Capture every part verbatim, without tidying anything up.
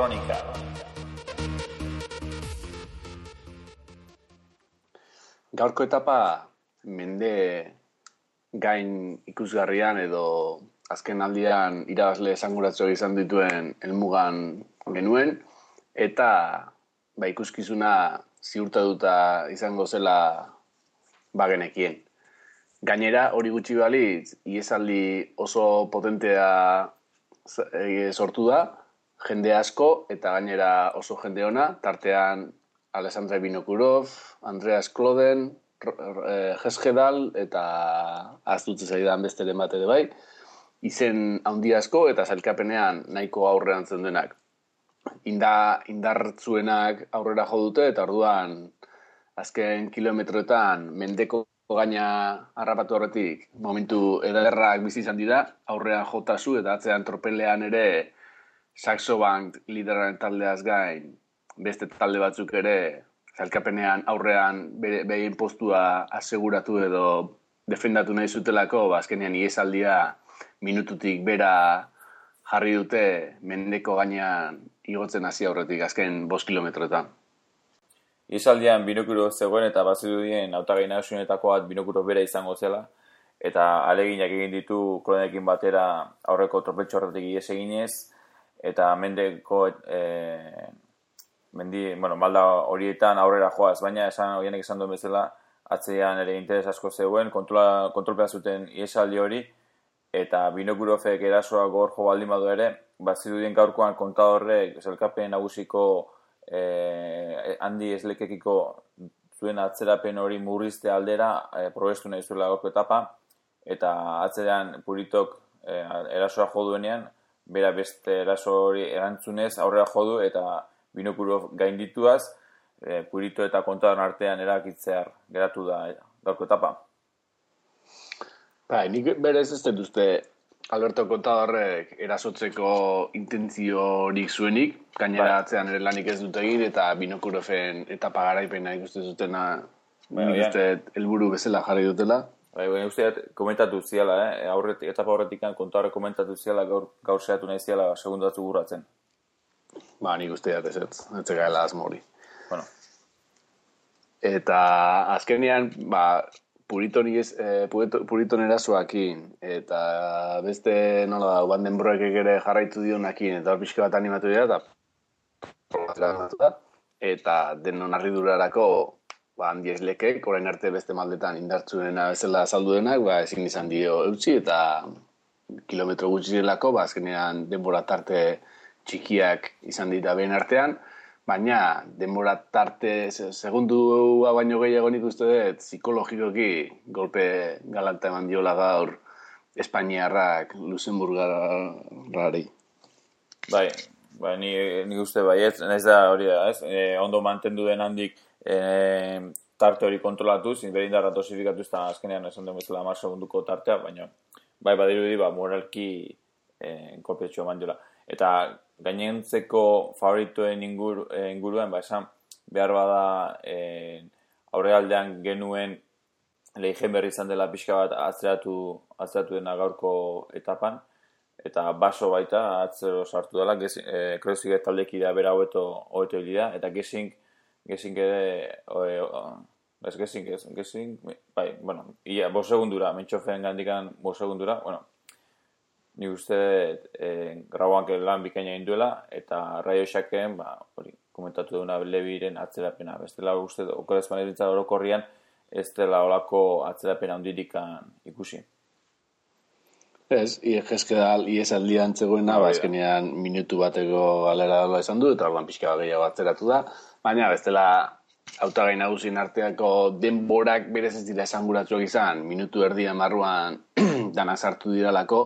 Kronika. Gaurko etapa mende gain ikusgarrian edo azken aldian irabazle esanguratsuak izan dituen helmugan genuen, eta ba, ikuskizuna ziurtatuta izango zela bagenekien. Gainera, hori gutxi balitz, ihesaldi oso potentea sortu da, jende asko eta gainera oso jende ona, tartean Alexandre Vinokurov, Andreas Kloden, Jeskedal eta aztutze zaidan besteren bat ere bai, izen handi asko eta sailkapenean nahiko aurrean zendenak. Inda, indartzuenak aurrera jo dute eta orduan azken kilometroetan mendeko gaina harrapatu horretik momentu ederrak bizi izan dira, aurrean jotazu eta atzean tropelean ere Saxo Bank lideraren taldeaz gain beste talde batzuk ere sailkapenean aurrean behien postua aseguratu edo defendatu nahi zutelako, ba, azkenean ihesaldia minututik bera jarri dute mendeko gainean igotzen hasi aurretik azken bost kilometroetan. Ihesaldian Vinokurov zegoen eta bazirudien hautagai nagusienetako bat Vinokurov bera izango zela, eta aleginak egin ditu Klodenekin batera aurreko tropeltxo horretik ihes eginez, eta mendeko e, mendi, bueno, malda horietan aurrera joaz, baina esan horienek esan duen bezala, atzean ere interes asko zegoen, kontrola, kontrolpea zuten ihesaldi hori, eta Vinokurovek erasoa gor jo baldin badu ere, bazirudien gaurkoan kontadorrek sailkapen nagusiko Eh, handi eslekekiko zuen atzerapen hori murrizte aldera eh, probestu nahi zuela gaurko etapa, eta atzeran Puritok eh, erasoa jo duenean, bera beste eraso hori erantzunez aurrera jo du eta Vinokurov gaindituaz, eh, Purito eta kontadorren artean erakitzear geratu da gaurko etapa. Bai, nik berez ez dut uste Alberto Contadorrek erasotzeko intentziorik zuenik, gainera atzean ere lanik ez dut egin, eta Vinokuroven etapa garaipena ikusten zutena nik uste helburu bezala jarri dutela. Bai, baina usteat komentatu ziala, eh? Aurretik, etapa horretik Contadorrek komentatu ziala gaur, gaur zehatu nahi ziala segundu batzu burratzen. Ba, nik usteat ez ez, ez gaela asmo hori. Bueno. Eta azkenean, ba, Puriton, eh, Puriton erasoakin, eta beste, nola da, Van den Broekek ere jarraitu dionakin, eta hor pixka bat animatu dira, eta, eta denon harridurarako ba, handi eslekek, orain arte beste maldetan indartzuena bezala azaldu denak, ba, ezin izan dio eutxi, eta kilometro gutxirelako, ba, azkenean denbora tarte txikiak izan dira behen artean, baina denbora tarte segundua baino gehiago nik uste dut psikologikoki golpe galanta eman diola gaur Espainiarrak Luxemburgarrari. Bai, bai, ni, ni uste bai, ez, ez da hori da, ez, e, ondo mantendu den handik e, tarte hori kontrolatuz, berindarra dosifikatuz eta azkenean esan den bezala hamar segunduko tartea, baina bai badirudi ba, moralki e, kolpetxo eman diola. Eta gainentzeko favoritoen ingur, eh, inguruan, ba, esan behar bada eh, aurrealdean genuen Leijen berri izan dela pixka bat atzeratu, atzeratu dena gaurko etapan, eta baso baita atzero sartu dela, eh, Kreuzig taldekidea bera hobeto hobeto hilida, eta Gesink, Gesink ere, oe, o, ez Gesink, ez, Gesink, bai, bueno, ia, bo segundura, mentxofen gandikan bo segundura, bueno, ni uste eh, grauan lan bikaina induela, eta Radio Shaken, ba, hori, komentatu duna Leviren atzerapena. Bestela uste, okorezpan eritza orokorrian, ez dela olako atzerapena handirikan ikusi. Ez, jeskedal iesaldian zegoena, ba, azkenean minutu bateko galera dola esan du, eta orduan pixka gehiago atzeratu da, baina bestela hautagai nagusien arteako denborak berez ez dira esanguratsuak izan, minutu erdia marruan dana sartu diralako,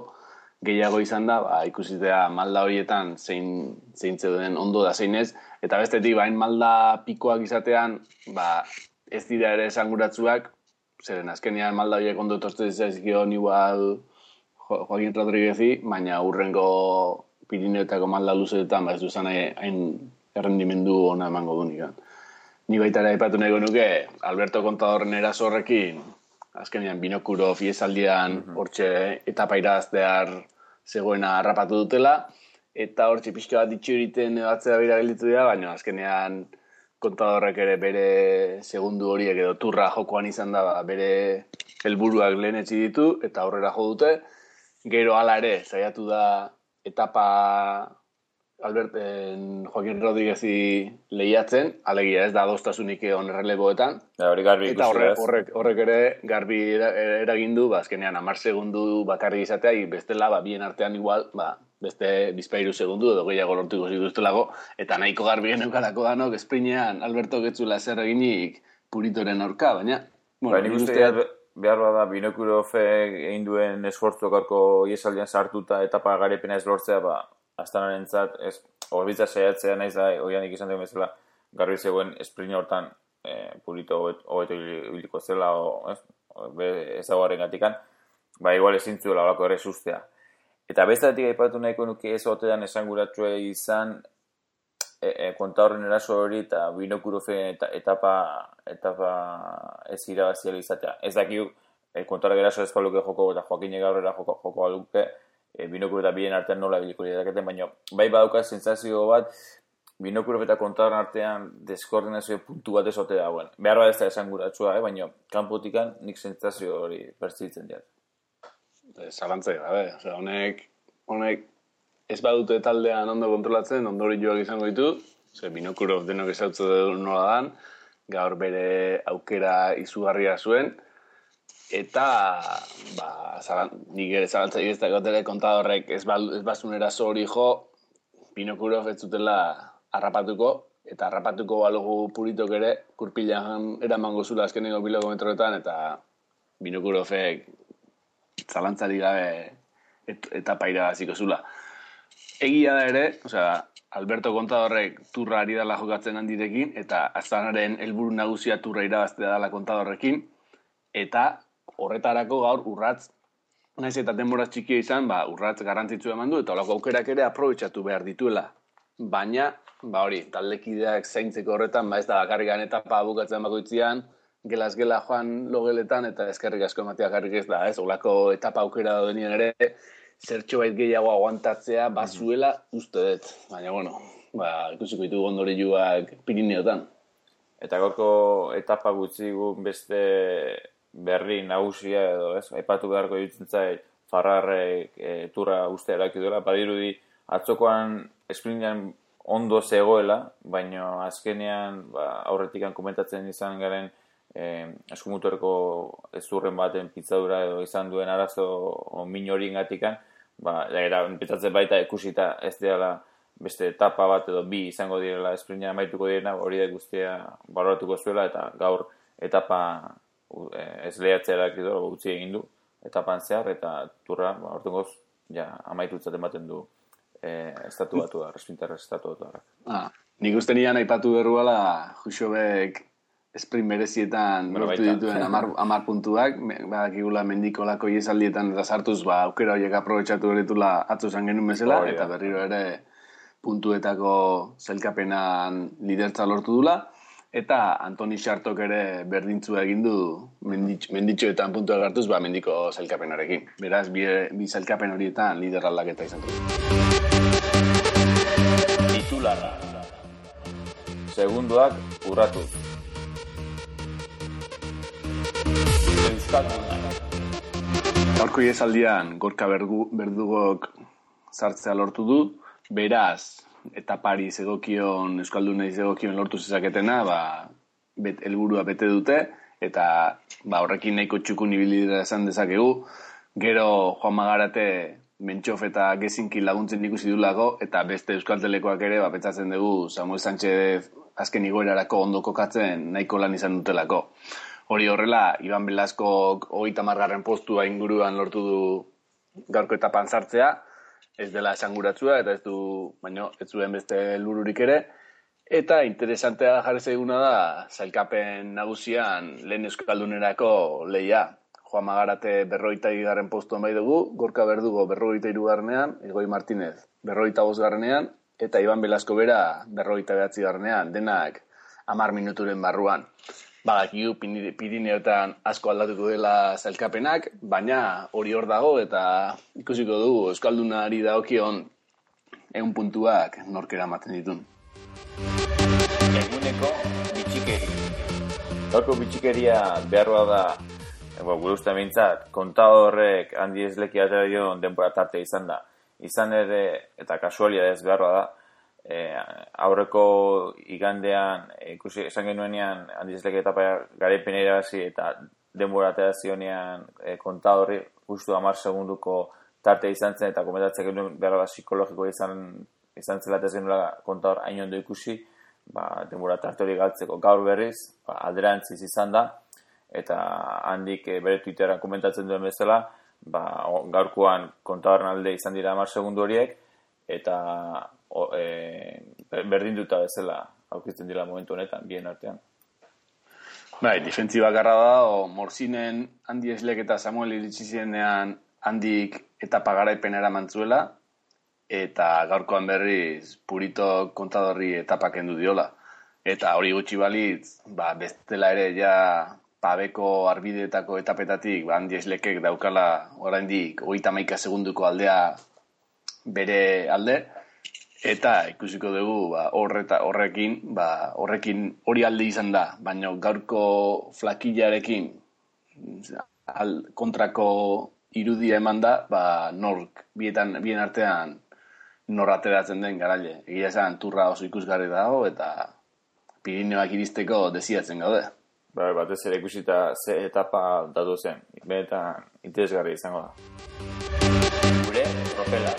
gehiago izan da, ba, ikusitea malda horietan zein, zein zeuden ondo da zein ez, eta bestetik bain malda pikoak izatean, ba, ez dira ere esanguratsuak, zeren azkenean malda horiek ondo tortzen zaizkion igual Joaquin Rodriguezi, baina hurrengo Pirineoetako malda luzeetan, ba, ez duzan hain errendimendu ona emango du nikan. Ni baita ere aipatu nahi nuke, Alberto Contadorren eraso horrekin, azkenean Vinokurov ihesaldian hortxe etapa iraztear zegoena harrapatu dutela, eta hor txipizka bat ditxo egiten batzera bera gelditu dira, baina azkenean kontadorrek ere bere segundu horiek edo turra jokoan izan da, ba, bere helburuak lehenetsi ditu, eta aurrera jo dute. Gero hala ere, saiatu da etapa Albert, en, Joaquin Rodríguezi lehiatzen, alegia ez da adostasunik on erreleboetan. Ja, hori garbi eta horrek, horrek, horrek ere garbi eragin du, ba, azkenean hamar segundu bakarrik izatea, bestela, ba, bien artean igual, ba, beste bizpairu segundu edo gehiago lortuko zituztelako, eta nahiko garbi geneukalako danok, esprinean Alberto Getzula zer eginik Puritoren aurka, baina... Bueno, ba, nik uste behar bada Binokurofe egin duen esfortzu gaurko iesaldian sartuta etapa garepena ez lortzea, ba, Astanarentzat, ez, horbitza saiatzea naiz da, oianik izan duen bezala, garbi zegoen esprint hortan e, Purito hobeto ibiliko zela, o, ez, ez dagoaren gatikan, ba, igual ezin zuela olako ere sustea. Eta bestatik aipatu nahiko nuke ez otean esanguratsua izan e, e, konta horren eraso hori eta Binokurofe eta, etapa, etapa ez irabaziala izatea. Ez dakiu, e, konta horren eraso ez baluke joko eta Joaquin gaurrera joko, joko baluke, e, Binokuro eta bien artean nola biliko liraketen, baina bai badauka sentsazio bat Binokuro eta konta horren artean deskoordinazio puntu bat ez ote dagoen. Behar bat ez da esanguratsua, eh? Baina kanpotikan nik sentsazio hori pertzitzen diat. Zalantzai gabe, osea, honek, honek ez badute taldean ondo kontrolatzen, ondorioak izango ditu, ze Binokuro denok ezautze nola dan, gaur bere aukera izugarria zuen, eta, ba, zalan, nik ere zalantzai ez da gotele kontadorrek ez, ba, ez bazunera zori jo, Binokuro ez zutela harrapatuko, eta harrapatuko balugu Puritok ere, kurpilan eramango zula azkeneko kilometroetan, eta Binokurofek zalantzari gabe et, etapa irabaziko zula. Egia da ere, osea, Alberto Contadorrek turra ari dala jokatzen handirekin, eta Astanaren helburu nagusia turra irabaztea dala Contadorrekin, eta horretarako gaur urratz, naiz eta denbora txikia izan, ba, urratz garrantzitsu eman du, eta holako aukerak ere aprobetxatu behar dituela. Baina, ba hori, taldekideak zaintzeko horretan, ba ez da bakarrikan etapa bukatzen bakoitzian, gelaz-gela joan logeletan eta eskerrik asko ematea garrik ez da, ez? Olako etapa aukera denien ere, zertxo bait gehiago aguantatzea bazuela uste dut. Baina, bueno, ba, ikusiko ditugu ondorioak Pirineotan. Eta gaurko etapa gutxi beste berri nagusia edo, ez? Aipatu beharko ditzen zait, Farrarrek e, turra uste eraki duela, badirudi atzokoan esprintean ondo zegoela, baina azkenean ba, aurretikan komentatzen izan garen Eh, eskumutoreko ezurren baten pitzadura edo izan duen arazo min hori ingatikan, ba, era, pentsatzen baita ikusita ez dela beste etapa bat edo bi izango direla esprintean amaituko direna, hori da guztia baloratuko zuela eta gaur etapa ez lehatzea eraki utzi egin du etapan zehar eta turra, ba, ortengoz, ja, amaitutzat ematen du eh, estatu batu da, respintarra estatu batu da. Ah, nik uste nian aipatu berruala Juxobek sprint berezietan bueno, lortu dituen amar, amar puntuak, badakigula mendiko lako iesaldietan eta sartuz, ba, aukera horiek aprobetxatu beretula atzo zan genuen bezala, oh, eta berriro ere puntuetako zelkapenan lidertza lortu dula, eta Antoni Xartok ere berdintzua egin du menditx, menditxoetan puntuak hartuz, ba, mendiko zelkapenarekin. Beraz, bi, bi zelkapen horietan lider aldaketa izan du. Titularra. Segundoak urratu. Gaurko iezaldian Gorka Berdugok sartzea lortu du, beraz, eta Paris egokion, Euskaldunei egokion lortu zezaketena, ba, bet, helburua bete dute, eta ba, horrekin nahiko txukun ibilidera esan dezakegu, gero Juan Magarate Mentxof eta Gezinki laguntzen ikusi dulako, eta beste Euskaltelekoak ere, ba, pentsatzen dugu Samuel Sánchez azken igoerarako ondo kokatzen nahiko lan izan dutelako. Hori horrela, Iban Belaskok hogeita hamargarren postua inguruan lortu du gaurko etapan sartzea, ez dela esanguratsua eta ez du, baino, ez zuen beste helbururik ere, eta interesantea jarri zaiguna da sailkapen nagusian lehen euskaldunerako lehia. Juan Magarate berrogeita bigarren postuan bai dugu, Gorka Berdugo berrogeita hirugarrenean, Elgoi Martinez berrogeita bosgarrenean, eta Iban Belasko bera berrogeita bederatzigarrenean, denak hamar minuturen barruan. Badakigu Pirineotan asko aldatuko dela zailkapenak, baina hori hor dago eta ikusiko dugu Euskaldunari dagokion ehun puntuak nork eramaten ditun. Eguneko bitxikeri. Gaurko bitxikeria beharroa da, ego, gure uste mintzat, kontadorrek handi esleki atera dion denbora tarte izan da. Izan ere, eta kasualia ez beharroa da, e, aurreko igandean, ikusi esan genuenean handi esleki etapa garaipen irabazi eta denbora atera zionean e, kontadorri justu hamar segunduko tarte izan zen eta komentatzen genuen behar bat psikologiko izan, izan zela eta zenula kontador hain ondo ikusi, ba, denbora tarte hori galtzeko gaur berriz, ba, alderantziz izan da, eta handik e, bere Twitteran komentatzen duen bezala, ba, gaurkoan kontadorren alde izan dira hamar segundu horiek, eta o, e, berdinduta bezala aurkitzen dira momentu honetan, bien artean. Bai, defentsi bakarra da, o Morzinen handi eslek eta Samuel iritsi zirenean handik etapa garaipena eramantzuela, eta gaurkoan berriz Purito kontadorri etapa kendu diola. Eta hori gutxi balitz, ba, bestela ere ja pabeko arbideetako etapetatik ba, handi eslekek daukala oraindik hogeita hamaika segunduko aldea bere alde, eta ikusiko dugu ba, horreta, horrekin, ba, horrekin hori alde izan da, baina gaurko flakillarekin al, kontrako irudia eman da, ba, nork, bietan, bien artean nor ateratzen den garaile. Egia esan, turra oso ikusgarri dago, eta Pirineoak iristeko desiatzen gaude. Bai, batez ere ikusita ze etapa datu zen, benetan interesgarri izango da. Gure tropela.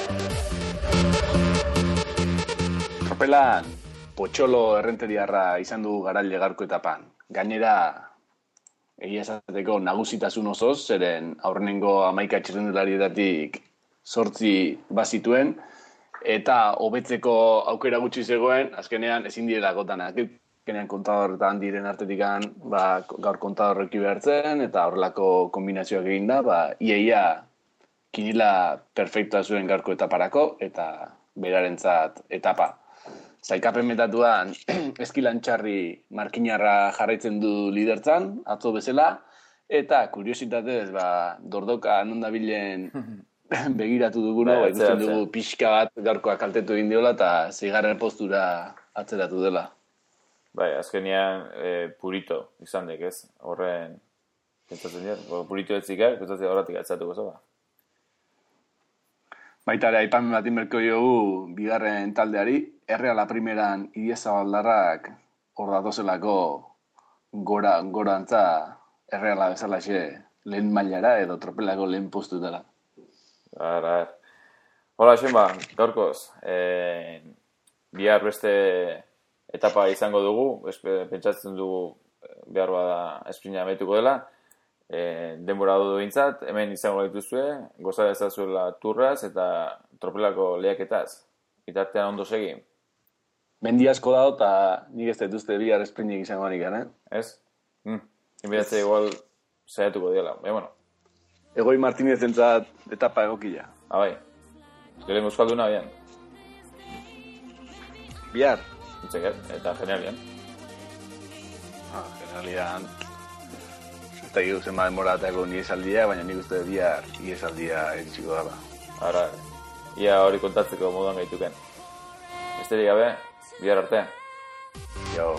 Tropelan, potxolo errenteriarra izan du garaile gaurko etapan. Gainera, egia esateko nagusitasun osoz, zeren aurrenengo hamaika txirrendularietatik zortzi bazituen, eta hobetzeko aukera gutxi zegoen, azkenean ezin direla gotanak. Azkenean kontador eta handiren artetikan ba, gaur kontadorreki behartzen, eta horrelako kombinazioak egin da, ba, iaia kinila perfektua zuen gaurko etaparako, eta berarentzat etapa. Zaikapen metatuan eskilantxarri markinarra jarraitzen du lidertzan, atzo bezala, eta kuriositatez, ba, dordoka nondabilen begiratu duguna, ba, ikusten dugu pixka bat gaurkoa kaltetu egin diola, eta zeigarren postura atzeratu dela. Bai, azkenean e, Purito izan dek, ez? Horren, pentsatzen dira, Purito etzikak, pentsatzen horretik atzatuko zoba. Baita ere, aipamen bat inberko jogu bigarren taldeari, Erreala primeran Idiazabaldarrak hor datozelako gora, gorantza Erreala bezalaxe lehen mailara edo tropelako lehen postu dela. Ara, hola, Xenba, gaurkoz, e, bihar beste etapa izango dugu, pentsatzen dugu behar bada esprina ametuko dela, E, denbora dudu bintzat, hemen izango dituzue, goza dezazuela turraz eta tropelako lehiaketaz. Itartean ondo segi. Mendi asko dago eta nik ez dituzte bihar esprinik izango anikan, eh? Ez? Mm. Inbidatze igual saiatuko diela. E, bueno. Egoi Martinez entzat etapa egokila. Ah, bai. Gelen euskalduna bian. Bihar? Itzeket, eta generalian. Ah, generalian... Eta gero zen baden moratako niesaldia, baina nik uste bihar niesaldia eritxiko dara. Ara, ia hori kontatzeko moduan gaituken. Besterik gabe, bihar arte. Jo.